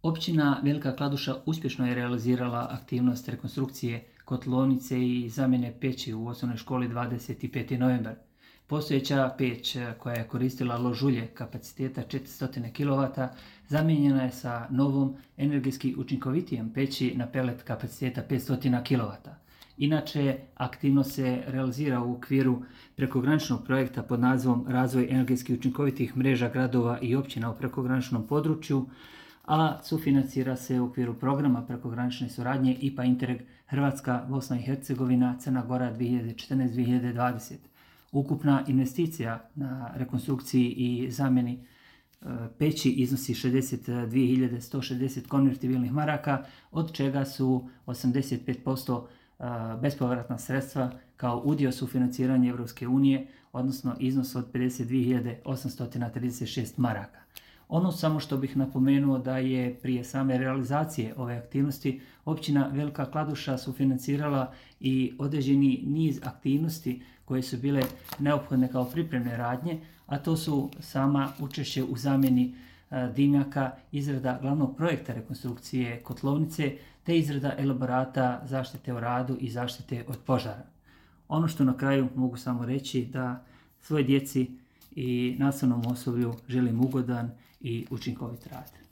Općina Velika Kladuša uspješno je realizirala aktivnost rekonstrukcije kotlovnice i zamjene peći u osnovnoj školi 25. novembar. Postojeća peć koja je koristila lož ulje kapaciteta 400 kW zamijenjena je sa novom energetski učinkovitijom peći na pelet kapaciteta 500 kW. Inače, aktivnost se realizira u okviru prekograničnog projekta pod nazivom Razvoj energetski učinkovitih mreža gradova i općina u prekograničnom području, a sufinancira se u okviru programa prekogranične suradnje IPA Interreg Hrvatska, Bosna i Hercegovina, Crna Gora 2014-2020. Ukupna investicija na rekonstrukciji i zamjeni peći iznosi 62.160 konvertibilnih maraka, od čega su 85% bespovratna sredstva kao udio sufinanciranja Europske unije, odnosno iznos od 52.836 maraka. Ono samo što bih napomenuo da je prije same realizacije ove aktivnosti općina Velika Kladuša sufinancirala i određeni niz aktivnosti koje su bile neophodne kao pripremne radnje, a to su sama učešće u zamjeni dimnjaka, izrada glavnog projekta rekonstrukcije kotlovnice te izrada elaborata zaštite o radu i zaštite od požara. Ono što na kraju mogu samo reći da svoj djeci i nastavnom osoblju želim ugodan i učinkovit rad.